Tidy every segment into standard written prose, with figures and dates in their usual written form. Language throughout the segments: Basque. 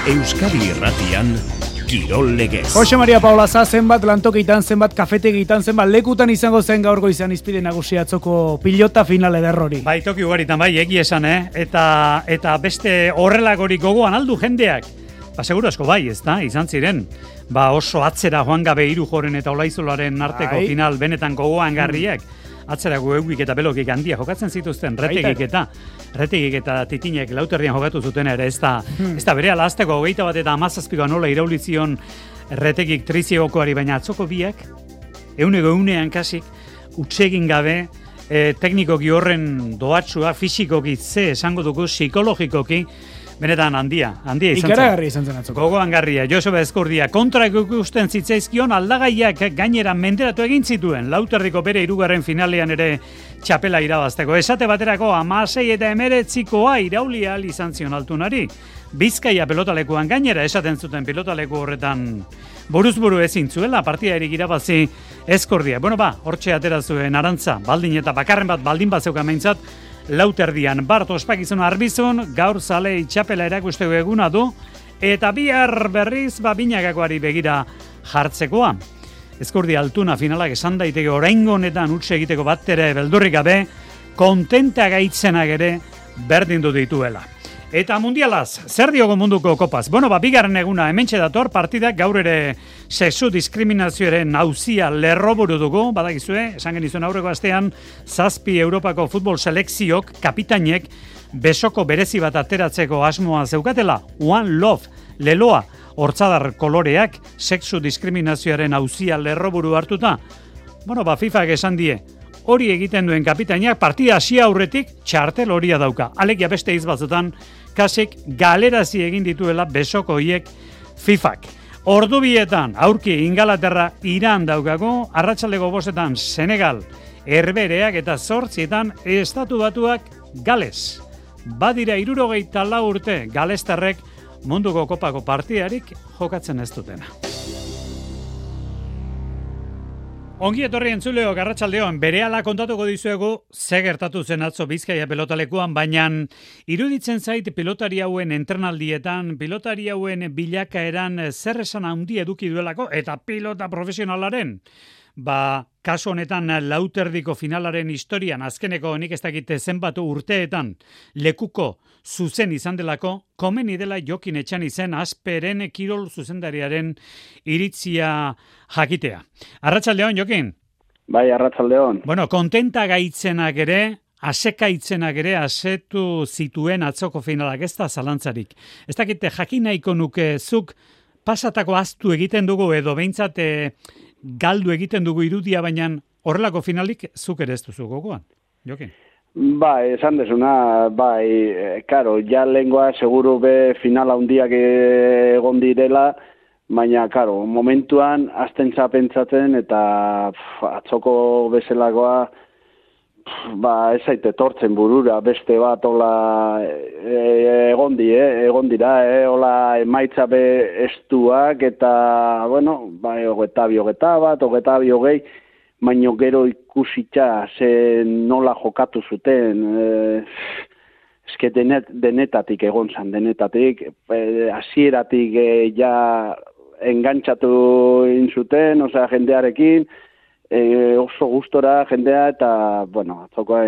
Euskadi Irratian Kirol Legez. Jose Maria Paulaza zenbat lantokitan, zenbat kafetegitan, zenbat lekutan izango zen gaurko izan izpide nagusi atzoko pilota finale derrori. Bai, toki ugaritan bai, egi esan, eta beste horrelagorik gogoan aldu jendeak. Seguru asko bai, ez da, izan ziren. Oso atzera joan gabe Irujoren eta Olaizolaren arteko final benetan gogoan garriak. Atzerako eugik eta belokik handia jokatzen zituzten, retegik eta titinek lauterdian jokatu zuten ere, ez da bere alazteko 21 eta 17 nola iraulizion retegik triziegokoari, baina atzoko biak, egunean kasik, utsegin gabe, teknikoki horren doatsua, fisikoki esango dugu, psikologikoki, benetan handia izan zen. Ikaragarri izan zen atzoko. Gogoan garria, Joseba Ezkurdia, kontra ikusten zitzaizkion aldagaiak gainera menderatu egin zituen, Lauterdiko bere 3. finalean ere txapela irabazteko. Esate baterako 16 eta 19koa iraulia izan zion Altunari. Bizkaia pilotalekuan gainera esaten zuten pilotaleku horretan buruzburu ezin zuela partidarik irabazi Ezkurdia. Hortxe atera zuen Arantza, baldin eta bakarren bat baldin bat zeukan meintzat, Lauterdian Bart ospakizun arbizun, gaur zale txapela erakusteko eguna du, eta bihar berriz binakakoari begira jartzekoa. Ezkurdia Altuna finalak esan daiteke oraingo honetan utxe egiteko bat ere beldurrik gabe, kontenta gaitzenak ere berdin du dituela. Eta mundialaz, zer diogo munduko kopaz? Bigarren eguna hementxe dator partidak, gaur ere sexu diskriminazioaren auzia lerroburu dugu, badakizue, esan genizuen aurreko astean, 7 Europako futbol selekziok, kapitainek, besoko berezi bat ateratzeko asmoa zeukatela, One Love, leloa, hortzadar koloreak, sexu diskriminazioaren auzia lerroburu hartuta. FIFak esan die, hori egiten duen kapitainak partida hasi aurretik txartel horia dauka. Alegia beste izbatzutan, kasik galerazi egin dituela besoko hiek FIFak. Ordu bietan, aurki Ingalaterra Iran daukago, arratsaldeko 5etan Senegal, Herbereak eta 8etan Estatu Batuak Gales. Badira 74 urte galestarrek munduko kopako partidarik jokatzen ez dutena. Ongi etorri entzuleok, arratsaldeon, berehala kontatuko dizuegu ze gertatu zen atzo Bizkaia pilotalekuan, baina iruditzen zait pilotari hauen entrenaldietan, pilotari hauen bilakaeran zer esan handi eduki duelako, eta pilota profesionalaren, kasu honetan Lauterdiko finalaren historian, azkeneko nik ez dakite zenbatu urteetan, lekuko zuzen izan delako, komeni dela Jokin Etxanizen Asperen kirol zuzendariaren iritzia jakitea. Arratsaldeon, Jokin? Bai, arratsaldeon. Kontenta gaitzenak ere, asekaitzenak ere asetu zituen atzoko finalak, ez da zalantzarik. Ez dakite jakin nahiko nuke zuk pasatako aztu egiten dugu edo behintzat galdu egiten dugu irudia, baina horrelako finalik zuk ere ez duzu gogoan, Jokin? Bai, esan desuna, karo, ja lehengoa seguru be finala hundiak egon direla, baina, karo, momentuan azten pentsatzen eta atzoko bezalagoa, ez zaite tortzen burura, beste bat hola egon dira, hola emaitza be estuak eta, hogeta bi hogei, baino gero ikusitza nola jokatu zuten, eske denetatik egon zan, hasieratik ja engantxatu inzuten, jendearekin, oso gustora jendea eta, atzoko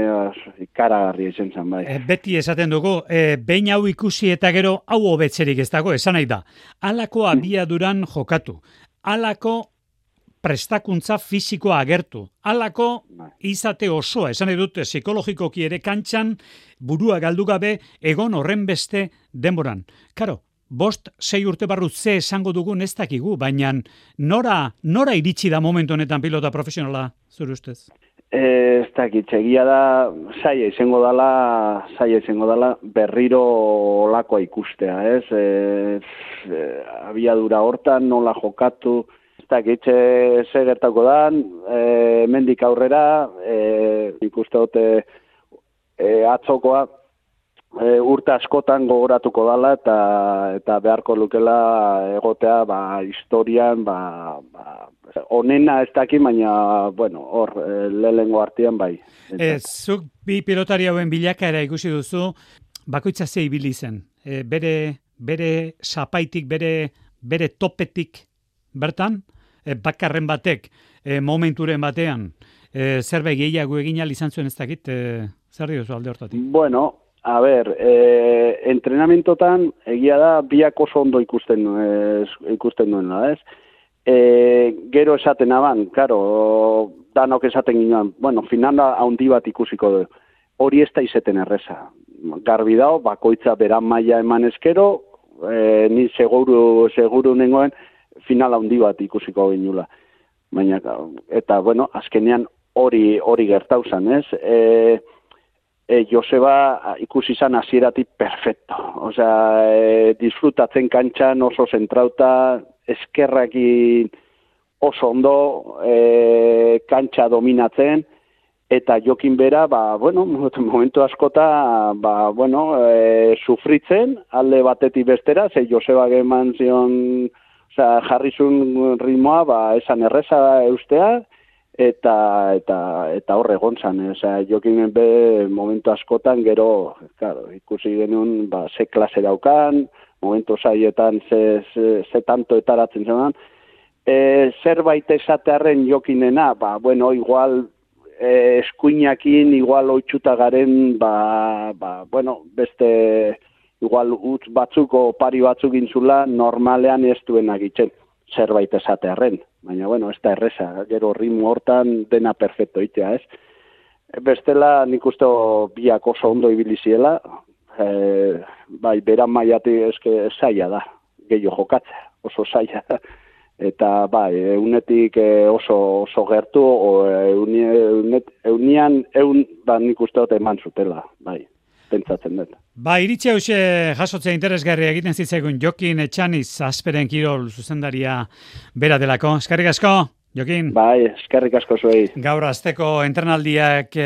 ikaragarri izan zen, bai. Beti esaten dugu, behin hau ikusi eta gero hau hobetzerik ez dago, esan nahi da. Halako abiaduran jokatu, halako prestakuntza fisikoa agertu, halako izate osoa, esan edut psikologikoki ere kantxan burua galdu gabe egon horren beste denboran. Karo, 5-6 urte barru ze esango dugun ez dakigu, baina nora iritsi da momentu honetan pilota profesionala, zure ustez? Ez dakit, egia da, zaila izango dela berriro olakoa ikustea, ez? Abiadura hortan, nola jokatu, ez dakit, ze gertako dan, mendik aurrera, ikuste dute atzokoa, urte askotan gogoratuko dela eta beharko lukela egotea historian onena ez daki, baina hor lehengo artean bai. Zuk bi pilotari hauen bilakaera ikusi duzu, bakoitza ze ibili zen. Bere bere zapaitik, bere topetik bertan, bakarren batek, momenturen batean, zerbait gehiago egin ahal izan zuen ez dakit, zer diozu alde hortatik? Bueno, a ber, entrenamentotan egia da biak oso ondo ikusten duena, ez? Gero esaten aban, karo, danok esaten ginoan, bueno, finala handi bat ikusiko du. Hori ez da izeten erreza. Garbi dao, bakoitza beran maila eman eskero, ni seguru nengoen finala handi bat ikusiko ginula. Baina, eta, bueno, azkenean hori gertauzan, ez? Joseba ikusi izan hasieratik perfecto. Osea, disfrutatzen kantxan oso zentrauta, eskerrakin oso ondo, kantxa dominatzen, eta jokin bera, momentu askota, sufritzen, alde batetik bestera, ze Joseba eman zion, jarrizun ritmoa, esan erreza eustea, eta horre gontzan, jokin be momentu askotan, gero, claro, ikusi genuen, ze klase daukan, momentu saietan ze tanto etaratzen zenan, zerbait esatearen jokinena, igual eskuinakin, igual oitxuta garen, beste, igual utz batzuko pari batzuk intzula, normalean ez duen agitzen, zerbait esatearen. Baina, ez da erreza, gero ritmo hortan dena perfecto itea, ez? Bestela, nik uste biak oso ondo ibiliziela, beran maiatik eske zaila da, gehiago jokatzea, oso zaila da. Eta, eunetik oso gertu, eunian, nik uste dut eman zutela, pentsatzen dut. Iritsi hause jasotzea interesgarria egiten zitzaigun Jokin Etxaniz Azperen kirol zuzendaria bera delako. Eskerrik asko, Jokin. Eskerrik asko zuei. Gaur asteko entrenaldiak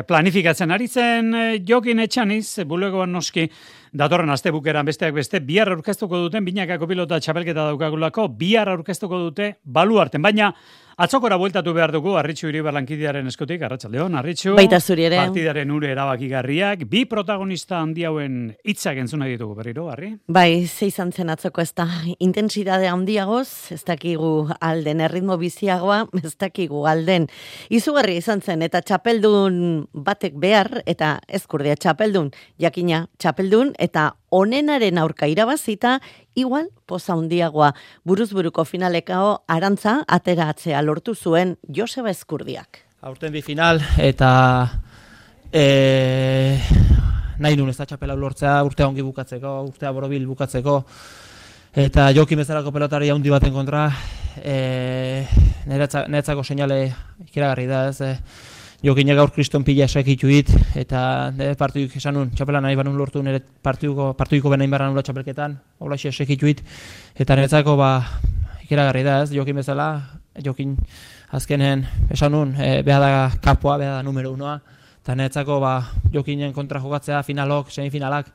planifikatzen aritzen Jokin Etxaniz, bulegoan noski, datorren astebukeran besteak beste, bihar aurkeztuko duten, binakako pilota txapelketa daukagulako, bihar aurkeztuko dute baluarten, baina atzokora bueltatu behar dugu, Arritxu Iribar lankidearen eskutik, arratsaldeon, Arritxu. Baita zuri ere. Partidaren ure erabakigarriak, bi protagonista handi hauen hitzak entzuna ditugu berriro, Arri? Ze izan zen atzoko ez da intentsitate handiagoz, ez dakigu alden, erritmo biziagoa, ez dakigu alden. Izugarri izan zen, eta txapeldun batek behar, eta ezkurdia txapeldun, jakina txapeldun, eta onenaren aurka irabazita, igual poza handiagoa buruzburuko finalekao arantza ateratzea lortu zuen Joseba Ezkurdiak. Aurten bi final eta nahi nun ez da txapela lortzea, urtea ongi bukatzeko, urtea borobil bukatzeko, eta Jokin bezalako pelotari handi baten kontra, niretzako seinale ikeragarri da, ez, Jokinek gaur kriston pila esakituit, eta partiduk esan nun, txapela nahi banun lortu nire partidiko benain barra nula txapelketan, hola esakituit, eta niretzako ikeragarri da, ez, Jokin bezala, Jokin azkenen esan nun, beha da kapoa, beha da numero 1, eta niretzako Jokinen kontra jokatzea, finalok, semifinalak,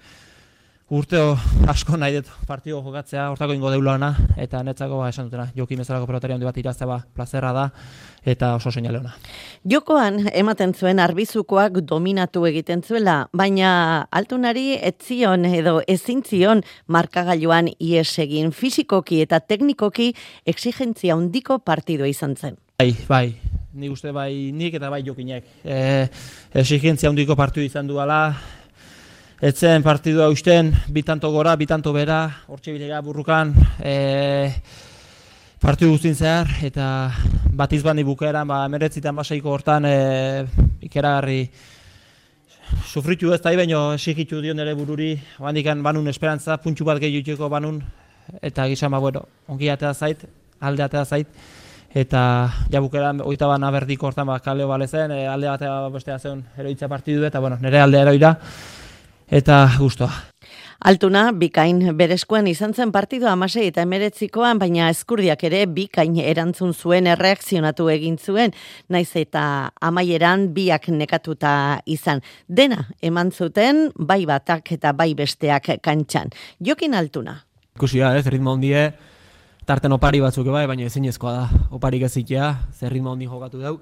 urteo asko nahi dut partido jokatzea, hortako ingo deulana, eta niretzako esan dutena, Jokin bezalako pelotari handi bat iraztea plazerra da, eta oso seinale ona. Jokoan ematen zuen arbizukoak dominatu egiten zuela, baina altunari etzion edo ezintzion markagailuan ies egin, fisikoki eta teknikoki exigentzia handiko partidua izan zen. Bai, nik uste nik eta Jokinek. Exigentzia handiko partidu izan duala, etzen partidua usten, bitanto gora, bitanto bera, hortxe bilega burrukan, partidu guztin zehar, eta bat izbandi bukaeran, meretzitan basaiko hortan ikeragarri sufritu ez da baino exigitu dion ere bururi, handikan banun esperantza, puntxu bat gehiuteko banun, eta gizan ongi atea zait, alde atea zait, eta ja bukaeran oita bana berdiko hortan kaleo balezen, alde batea bestea zen eroitza partidu, eta nire alde eroira, eta gustoa. Altuna, bikain berezkoan izan zen partidua 16 eta 19koan, baina Ezkurdiak ere bikain erantzun zuen, erreakzionatu egin zuen, naiz eta amaieran biak nekatuta izan. Dena eman zuten, bai batak eta bai besteak kantxan. Jokin Altuna. Ikusia, ritmo handie, tarten opari batzuk baina ezinezkoa da. Oparik ezitea, ritmo handi jokatu dau.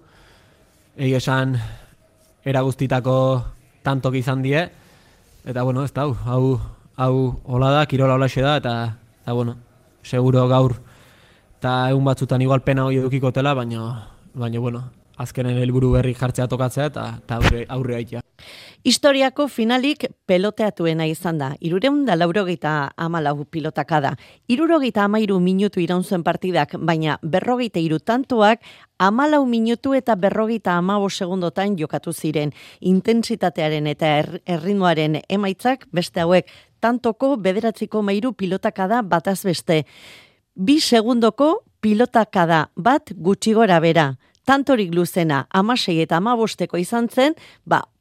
Egi esan, eraguztitako tantok izan die, eta ez da, hau hau hola da, kirola holaxe da, eta bueno, seguro gaur, eta egun batzutan igual pena hori edukikotela, baina bueno, azkenen helburu berri jartzea tokatzea, eta aurre haitea. Historiako finalik peloteatuena izan da. 384 pilotaka da. 73 minutu iraun zuen partidak, baina 43 tantoak 14 minutu eta 55 segundotan jokatu ziren. Intentsitatearen eta erritmoaren emaitzak beste hauek tantoko 9,3 pilotaka da bataz beste. 2 segundoko pilotaka da bat gutxi gora bera. Tantorik luzena 16 eta 15 izan zen,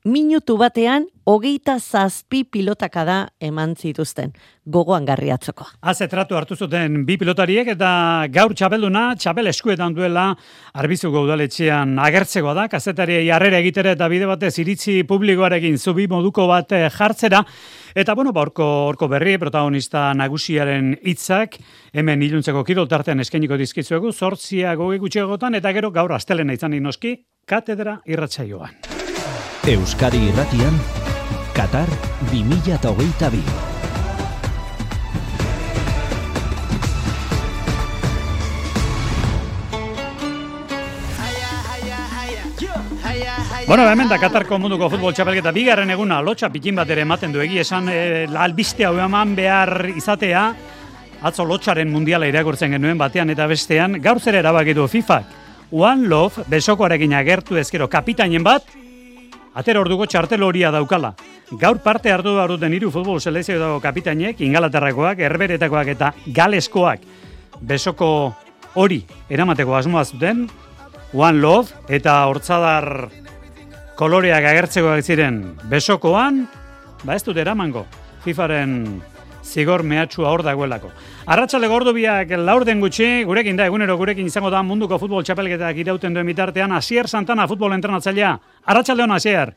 minutu batean 27 pilotaka da eman zituzten. Gogoan garriatzokoa. Haze tratu hartu zuten 2 pilotariek eta gaur txapelduna, txapel eskuetan duela Arbizuko udaletxean agertzekoa da, kazetariei harrera egitere eta bide batez iritzi publikoarekin zubi moduko bat jartzera. Eta bueno, horko berri, protagonista nagusiaren hitzak hemen iluntzeko kirol tartean eskainiko dizkizuegu, 8 gutxiagotan eta gero gaur astelena izan noski katedra irratsaioan. Euskadi Irratian, Qatar 2022. Bueno, hemen da Katarko munduko futbol txapelketa bigarren eguna lotxa pikin bat ere ematen du egia esan albiste hau eman behar izatea atzo lotxaren mundiala irakurtzen genuen batean eta bestean gaur zer erabakitu FIFAk. One Love besokoarekin agertu ezkero kapitainen bat atera orduko txartel horia daukala. Gaur parte hartu duten 3 futbol selekzioko kapitainek, Ingalaterrakoak, Herberetakoak eta Galeskoak besoko hori eramateko asmoa zuten. One Love eta hortzadar koloreak agertzekoak ziren besokoan, ez dut eramango, FIFaren zigor mehatxua hor dagoelako. Arratsaldeko ordubiak 4 gutxi, gurekin da, egunero gurekin izango da munduko futbol txapelketak irauten duen bitartean, Asier Santana futbol entrenatzailea. Arratsalde hon, Asier.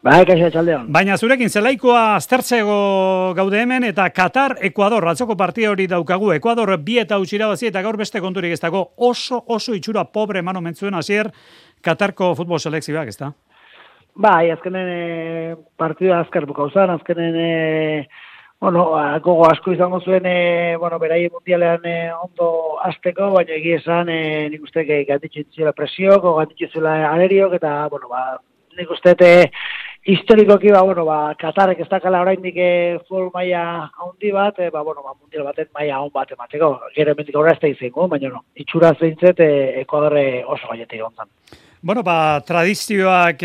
Kaixo, arratsalde hon. Baina zurekin zelaikoa aztertzego gaude hemen eta Qatar, Ekuador, atzoko partia hori daukagu. Ekuador 2 eta huts irabazi eta gaur beste konturik ez dago. Oso itxura pobre eman omen zuen, Asier, Qatarko futbol selekzioak, ez da? Azkenen partida azkar bukauzan, azkenen gogo asko izango zuen, beraien mundialean ondo azteko, baina egia esan nik uste ganditxu zela presiok, ganditxu zela aeriok, eta, nik uste historikoki, Katarrek ez dakala oraindik futbol maila handi bat, mundial baten maila hon bat emateko. Gero emendik aurra ez da izango, baina itxura zeintzet Ekuadorre oso gaietik onzan. Tradizioak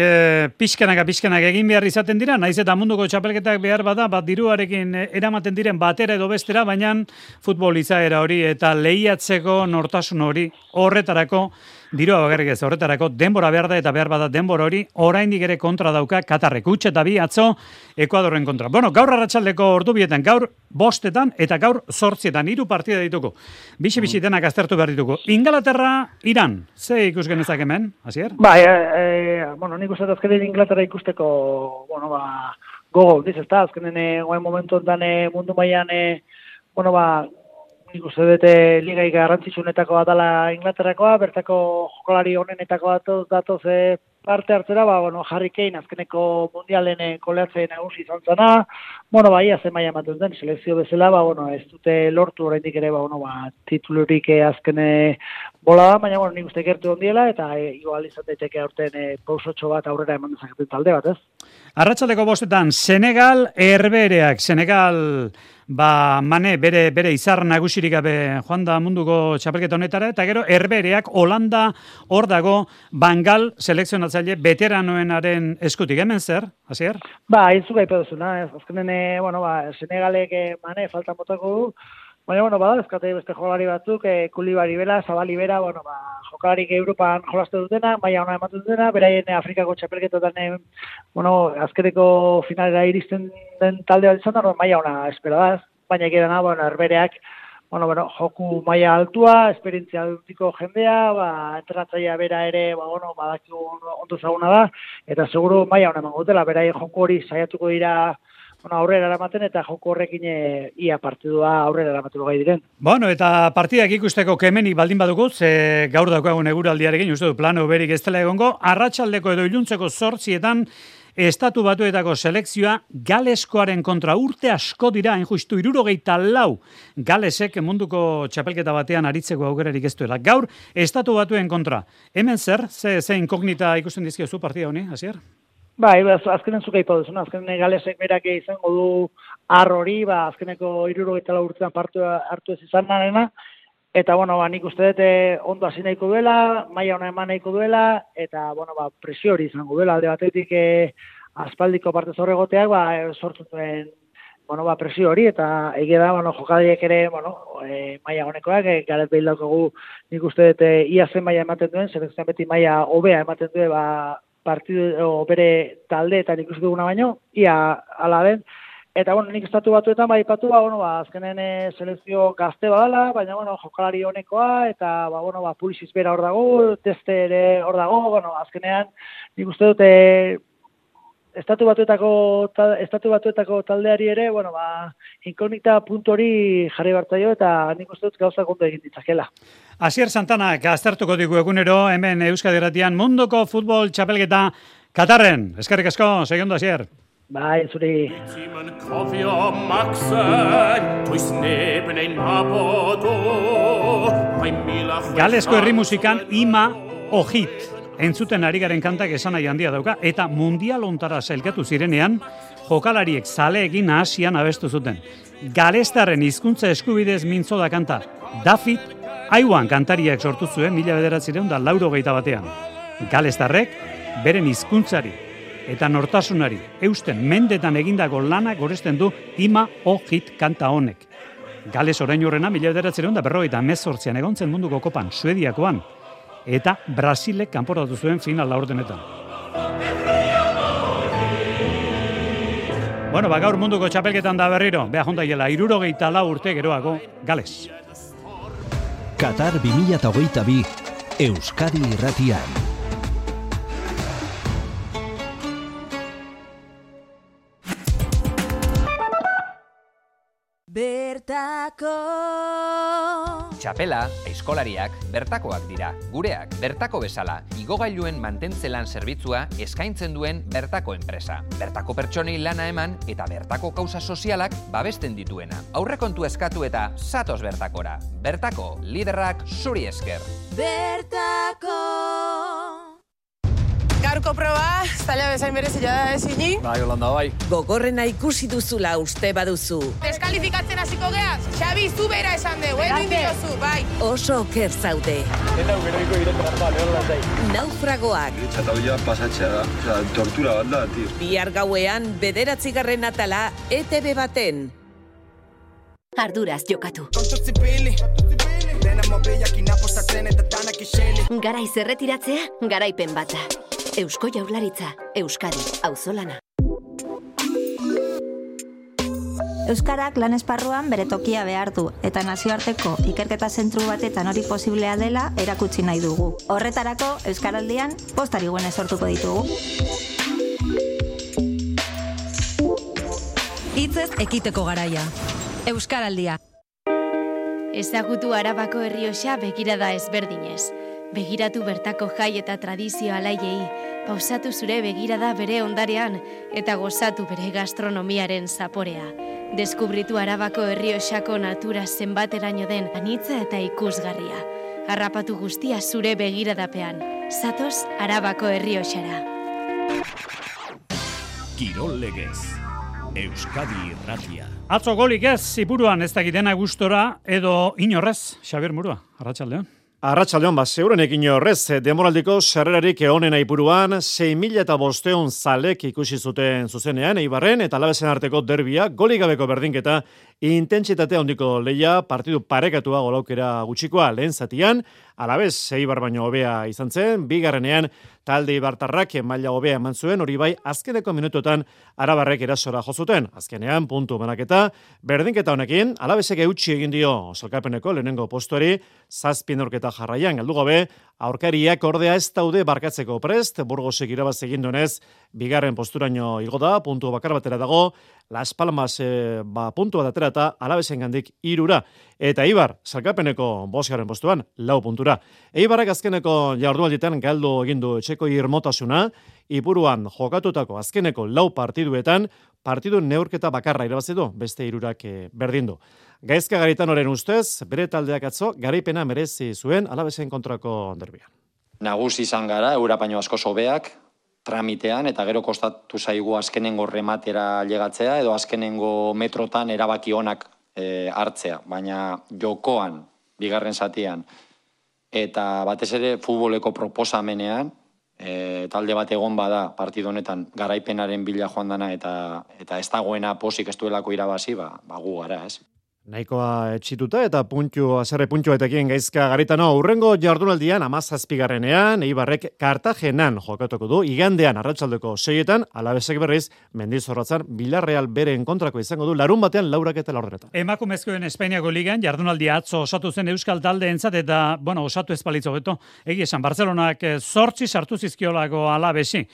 pixkanak egin behar izaten dira, naiz eta munduko txapelketak behar bada, diruarekin eramaten diren batera edo bestera, baina futbol izaera hori eta lehiatzeko nortasun hori horretarako, dirua bakarrik ez horretarako, denbora behar da eta behar bada denbora hori, oraindik ere kontra dauka Katarrek, huts eta 2 atzo Ekuadorren kontra. Gaur arratsaldeko ordubietan, gaur 5 eta gaur 8 3 partida dituko. Bixi denak aztertu behar dituko. Ingalaterra, Iran, ze ikus genezak hemen, Asier? Nik uste azkenen Inglaterra ikusteko, gogo, diz ez da, azkenen goen momentu enten mundu mailan, nik uste dute ligai garrantzitsunetako bat dela Inglaterrakoa, bertako jokalari honenetako datoz parte hartzera, Harry Kane azkeneko mundialen koleatzen nagusi izan zana, zen maila ematen den, selekzio bezala, ez dute lortu oraindik ere, titulurik azkene bola da, baina nik uste gertu ondiela, eta igual izan daiteke aurten pausotxo bat aurrera eman dezaketen talde bat, ez? Arratsaldeko 5 Senegal, Herbereak, Senegal Mane bere izar nagusirik gabe joan da munduko txapelketa honetara, eta gero Herbereak Holanda hor dago Bangal selekzionatzaile veteranoenaren eskutik. Hemen zer, Asier? Izu gaipa duzuna, azkenen, Senegalek Mane faltan botako du, baina, ezkate beste jokalari batzuk, Kulibari bera, Zabali bera, jokalarik Europan jolaste dutena, maila ona ematen dutena, beraien Afrikako txapelketotan, azkeneko finalera iristen den talde bat izan da, maila ona espero da, baina egirana, Herbereak, joku maila altua, esperientzia dutiko jendea, entrenatzailea bera ere, badakigu ondo zaguna da, eta seguru maila ona emango dutela, beraien joku hori saiatuko dira aurrera eramaten eta joko horrekin ia partidua aurrera eramateko gai diren. Eta partidak ikusteko kemenik baldin badugu, ze gaur daukagun eguraldiarekin, uste du plano berik ez dela egongo, arratsaldeko edo iluntzeko 8 Estatu Batuetako selekzioa Galeskoaren kontra urte asko dira, justu 74 Galesek munduko txapelketa batean aritzeko aukerarik ez duela. Gaur, Estatu Batuen kontra. Hemen zer? Ze inkognita ikusten dizkiozu partida honi, Asier? Bai, azkenen zuka ipa duzuna, azkenen Galesek berak izango du hori, azkeneko 74 urtean hartu ez izan narena, eta, nik uste dut ondo hasi nahiko duela, maila ona eman nahiko duela, eta, presio hori izango duela, alde batetik aspaldiko parte zorregoteak, sortu duen, presio hori, eta egia da, jokadiek ere, maila honekoak, Garet Bale daukagu, nik uste dut ia zen maila ematen duen, selekzioan beti maila hobea ematen duen, partidu bere taldeetan ikusi duguna baino, ia ala den. Eta, nik Estatu Batuetan baipatu, azkenen selekzio gazte badala, baina, jokalari honekoa, eta, Pulisic bera hor dago, Teste ere hor dago, azkenean, nik uste dute Estatu Batuetako taldeari ere, inkognita puntu hori jarri bartaio, eta nik uste dut gauzak ondo egin ditzakela. Asier Santanak aztertuko digu egunero, hemen Euskadi Irratian munduko futbol txapelketa Katarren. Eskerrik asko, segiondo, Asier. Bai, zuri. Galesko herri musikan Ima Ohit entzuten ari garen kantak esanai handia dauka, eta mundial ontara sailkatu zirenean, jokalariek zaleekin Asian abestu zuten. Galestarren hizkuntza eskubidez mintzo da kanta. David Aiwan kantariak sortu zuen 1981. Galestarrek beren hizkuntzari eta nortasunari eusten mendetan egindako lana goresten du Ima Ohit kanta honek. Gales orain horrena 1958an egon zen munduko kopan Suediakoan, eta Brasilek kanporatu zuen final laurdenetan. Gaur munduko txapelketan da berriro, beha jontaiela 74 urte geroago Gales. Qatar 2022 Euskadi Irratian. Bertako Txapela, aizkolariak, bertakoak dira. Gureak, bertako bezala, igogailuen mantentzelan zerbitzua eskaintzen duen bertako enpresa. Bertako pertsonei lana eman eta bertako kausa sozialak babesten dituena. Aurrekontu eskatu eta zatoz bertakora. Bertako, liderrak zuri esker. Bertako Gaurko proba, zaila bezain berezia da ezini. Bai, Holanda, bai. Gogorrena ikusi duzula uste baduzu. Deskalifikatzen hasiko geaz, Xabi, zu bera esan dugu, egin diozu, bai. Oso oker zaude. Eta ugerriko iretan bat, Holanda. Naufragoak. Txatauia pasatzea da, tortura bat da, tio. Bihar gauean, 9. atala, ETV baten. Arduraz jokatu. Garaiz erretiratzea, garaipen bata. Eusko Jaurlaritza, Euskadi, auzolana. Euskarak lan esparruan bere tokia behar du, eta nazioarteko ikerketa zentru batetan hori posiblea dela erakutsi nahi dugu. Horretarako, Euskaraldian postari guene sortuko ditugu. Hitzez ekiteko garaia. Euskaraldia. Ezagutu Arabako Errioxa begirada ezberdinez. Begiratu bertako jai eta tradizio alaiei, pausatu zure begirada bere ondarean eta gozatu bere gastronomiaren zaporea. Deskubritu Arabako Errioxako natura zenbateraino den anitza eta ikusgarria. Harrapatu guztia zure begiradapean. Zatoz Arabako Errioxara. Kirol legez. Euskadi Irratia. Atzo golik ez, Ipuruan ez dakitena gustora edo inorrez, Xabier Murua, arratsaldeon. Arratsaldeon, zeurenek inorrez, demoraldiko sarrerarik onena Ipuruan, 6.500 zalek ikusi zuten zuzenean, Eibarren eta Alabesen arteko derbia, golik gabeko berdinketa, intentsitate handiko leia, partidu parekatua golaukera gutxikoa lehen zatian, Alabes Eibar baino hobea izan zen, bigarrenean talde ibartarrak maila hobea eman zuen, hori bai azkeneko minutuetan Arabarrek erasora jo zuten. Azkenean puntu banaketa, berdinketa honekin Alabesek eutsi egin dio sailkapeneko lehenengo postuari, 7 neurketa jarraian galdu gabe, aurkariak ordea ez daude barkatzeko prest, Burgosek irabaz egin duenez, bigarren posturaino igo da, puntu bakar batera dago, Las Palmas puntua datera eta Alabesen gandik 3. Eta Eibar, salkapeneko 5. postuan, 4 puntura. Eibarrak azkeneko jardunaldietan galdu egindu etxeko irmotasuna, Ipuruan jokatutako azkeneko 4 partiduetan, partidu neurketa bakarra irabazi du, beste 3 berdindu. Gaizka Garitanoren ustez, bere taldeak atzo garaipena merezi zuen Alabesen kontrako derbian. Nagusi izan gara, Eurapaino asko sobeak, tramitean, eta gero kostatu zaigu azkenengo rematera llegatzea, edo azkenengo metrotan erabaki onak hartzea, baina jokoan, bigarren zatian, eta batez ere futboleko proposamenean, talde bat egon bada partidu honetan garaipenaren bila joan dana eta ez dagoena posik ez duelako irabazi, gu gara, ez? Nahikoa etxituta eta haserre puntuetekin Gaizka Garitano urrengo jardunaldian 17. Eibarrek Kartagenan jokatuko du, igandean arratsaldeko 6etan, Alabesek berriz Mendizorrotzan Villarreal beren kontrako izango du larunbatean 4:00 Emakumezkoen Espainiako ligan jardunaldia atzo osatu zen euskal taldeentzat eta osatu ez balitz hobeto. Egia esan Barcelonak 8 sartu zizkiolako Alabesi.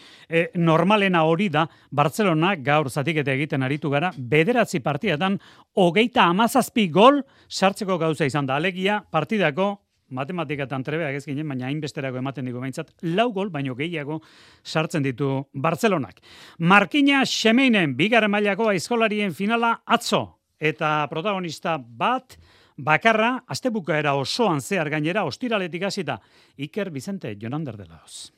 Normalena hori da Barcelonak gaur zatiketa egiten aritu gara 9 partidatan 37 gol sartzeko gauza izan da. Alegia partidako matematikatan trebeak ez ginen, baina hainbesterako ematen digu behintzat 4 gol baino gehiago sartzen ditu Barcelonak. Markina Xemeinen bigarren mailako aizkolarien finala atzo eta protagonista bat bakarra astebukaera osoan zehar gainera ostiraletik hasita Iker Vicente Jonander de Laos.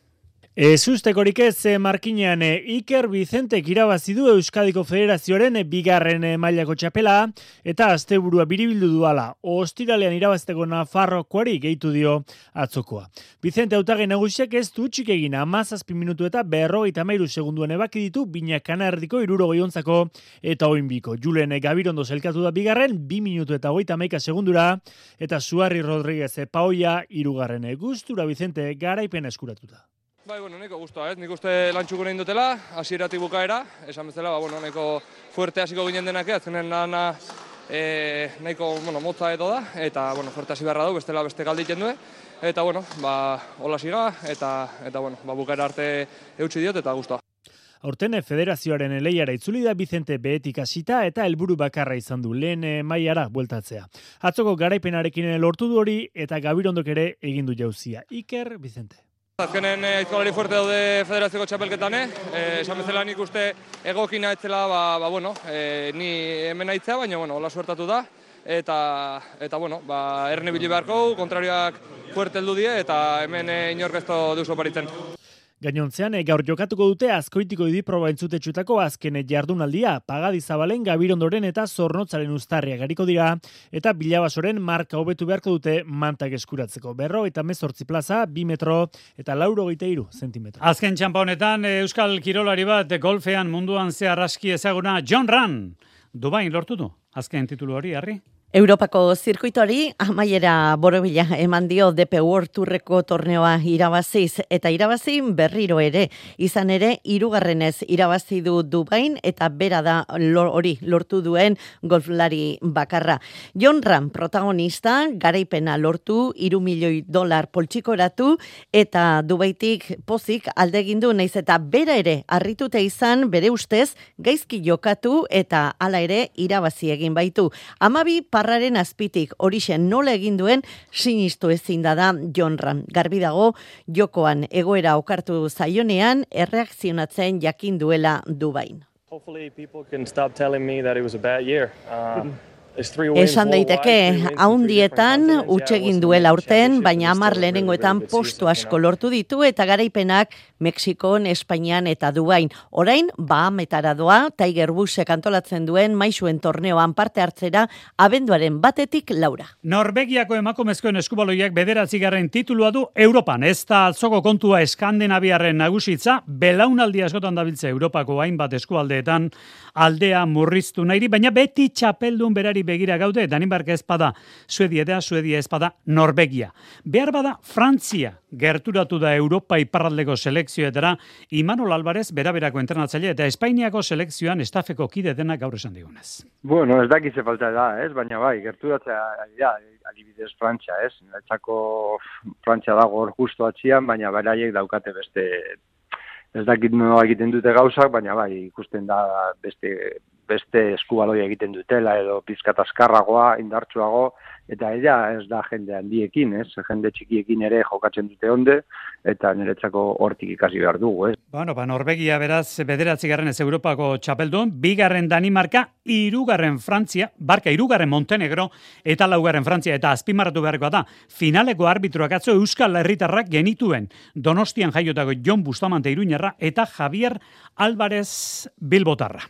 Ezustekorik ez Markinean Iker Vicentek irabazi du Euskadiko Federazioaren bigarren mailako txapela eta asteburua biribildu duala. Ostiralean irabazteko Nafarrokoari gehitu dio atzokoa. Vicente hautagai nagusiak ez du txik egin 17 minutu eta 53 segunduan ebaki ditu Bina Kanardiko 69 eta oinbiko. Julen Gabirondo zelkatu da bigarren 2 minutu eta 31 segundura eta Suarri Rodríguez Paoia 3. Gustura Vicente garaipena eskuratuta. Neko guztua, nik uste lantxuko nahi dutela, hasieratik bukaera, esan bezala, neko fuerte hasiko ginen denak, azkenen lana nahiko motza edo da, eta fuerte hasi beharra du, bestela beste galditen du, eta hola siga, eta bukaera arte eutxi diot, eta guztua. Aurten federazioaren lehiara itzuli da Vicente behetik hasita eta helburu bakarra izan du lehen mailara bueltatzea. Atzoko garaipenarekin lortu du hori eta Gabirondok ere egin du jauzia. Iker Vicente. Azkenen aizkolari fuerte daude federazioko txapelketan, esan bezala nik uste egokina etzela, ni hemen aitzea, baina, hola suertatu da, eta erne bili beharko, kontrarioak fuerte heldu die, eta hemen inork ez duzu oparitzen. Gainontzean, gaur jokatuko dute Azkoitiko idiproba entzutetxutako azken jardunaldia, Pagadizabalen, Gabirondoren eta Zornotzaren uztarria gariko dira, eta Bilabasoren marka hobetu beharko dute mantak eskuratzeko. 58 plaza, 2 metro eta 83 zentimetro. Azken txampa honetan, Euskal Kirolari bat golfean munduan zehar aski ezaguna John Ran. Dubain lortu du, azken titulu hori, Harri? Europako zirkuitoari amaiera borobila eman dio DP World Tourreko torneoa irabaziz eta irabazi berriro ere. Izan ere, 3. irabazi du Dubain eta bera da hori lortu duen golflari bakarra. John Ram protagonista garaipena lortu $3 milioi poltsikoratu eta Dubaitik pozik aldegindu naiz eta bera ere harrituta izan bere ustez gaizki jokatu eta hala ere irabazi egin baitu. 12 parraren azpitik horixen nola egin duen sinistu ezin da John Ram. Garbi dago jokoan egoera okartu zaionean erreakzionatzen jakin duela Dubain. Hopefully people can stop telling me that it was a bad year. Esan daiteke, haundietan utxegin duela urten, baina 10 lehenengoetan postu asko lortu ditu eta garaipenak Mexikon, Espainian eta Dubain. Orain, Bahametara doa, Tiger Woodsek antolatzen duen maisuen torneoan parte hartzera abenduaren 1-4. Norvegiako emakumezkoen eskubaloiak 9. titulua du Europan. Ez da atzoko kontua Eskandinaviarren nagusitza, belaunaldi askotan dabiltze Europako hainbat eskualdeetan aldea murriztu nahi, baina beti txapeldun berari begira gaude, Danimarka ezpada Suedia ezpada Norvegia. Behar bada Frantzia gerturatu da Europa iparraldeko selekzioetara, Imanol Alvarez beraberako entrenatzaile eta Espainiako selekzioan estafeko kide denak gaur esan digunez. Bueno, ez dakize falta da, baina bai, gerturatzea adibidez Frantzia, Netzako Frantzia dago hor justu atxian, baina beraiek daukate beste, ez dakit nola egiten dute gauzak, baina bai, ikusten da beste beste eskubaloia egiten dutela, edo pizkat askarragoa, indartsuago, eta ez da jende handiekin, jende txikiekin ere jokatzen dute onde, eta niretzako hortik ikasi behar dugu. Bueno, Norvegia beraz 9. Europako txapeldun, 2. Danimarka, 3. Frantzia, 3. Montenegro, eta 4. Frantzia, eta azpimarratu beharrekoa da, finaleko arbitroak atzo Euskal Herritarrak genituen, Donostian jaiotako Jon Bustamante Iruñarra, eta Javier Álvarez Bilbotarra.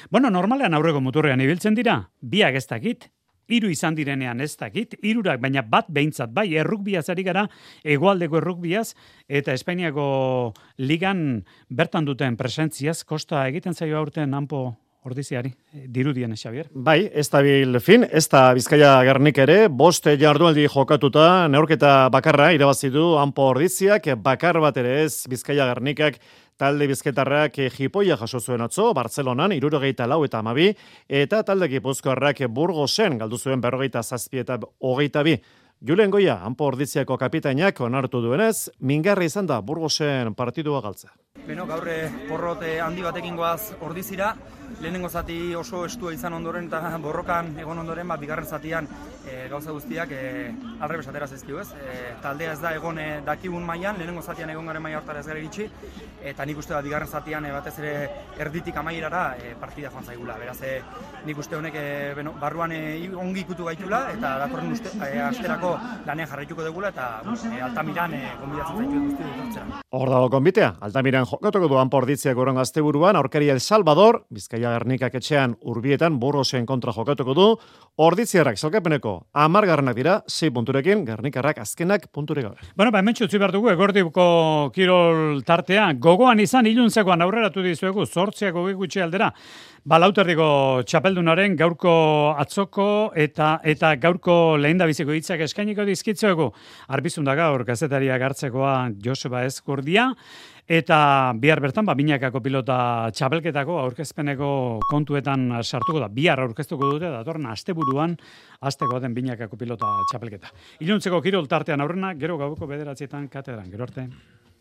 Bueno, normalean aurreko muturrean ibiltzen dira, biak ez dakit, 3 izan direnean ez dakit, 3 baina bat behintzat bai, errukbiaz ari gara, hegoaldeko errukbiaz, eta Espainiako ligan bertan duten presentziaz, kosta egiten zaio aurten hanpo ordiziari, dirudien, Xavier? Bai, ez dabil fin, ez da Bizkaia Gernik ere, 5 jardunaldi jokatuta, neurketa bakarra irabazi du hanpo ordiziak, bakar bat ere ez Bizkaia Gernikak, talde bizketarrak jipoia jaso zuen atzo, Bartzelonan, 74 eta 12, eta talde gipuzkoarrak Burgosen, galdu zuen 47 eta 22. Julen Goia, hanpo ordiziako kapitainak onartu duenez, mingarri izan da Burgosen partidua galtza. Beno, gaur porrot handi batekin goaz ordizira, lehenengo zati oso estua izan ondoren eta borrokan egon ondoren, bigarren zatian gauza guztiak alrebes atera zaizkigu, ez? Taldea ez da egon dakigun mailan, lehenengo zatian egon garen maila hartara ez gara iritsi, eta nik uste da bigarren zatian batez ere erditik amaierara partida joan zaigula. Beraz, nik uste honek barruan ongi ikutu gaitula, eta datorren asterako lanean jarraituko dugula, eta Altamiran gonbidatzen zaitu guzti dutortzera. Hor dago konbitea, Altamiran jokatuko duan porditziak goron asteburuan, aurkari El Salvador, Bizkaia Gernikak etxean Urbietan Burgosen kontra jokatuko du, orditziarrak salkapeneko 10 dira, 6 punturekin, Gernikarrak azkenak punturik gabe. Bueno, hemen txutzi behar dugu, egordiko kirol tartea, gogoan izan iluntzekoan aurreratu dizuegu, 8 gutxi aldera, Lauterriko txapeldunaren gaurko atzoko eta gaurko lehendabiziko hitzak eskainiko dizkitzuegu. Arbizun da gaur gazetaria hartzekoa Joseba Ezkurdia, eta bihar bertan, binakako pilota txapelketako aurkezpeneko kontuetan sartuko da. Bihar aurkeztuko dute, datorren asteburuan, asteko den binakako pilota txapelketa. Iluntzeko kirol tartean aurrena, gero gauko 9 katedran. Gero arte.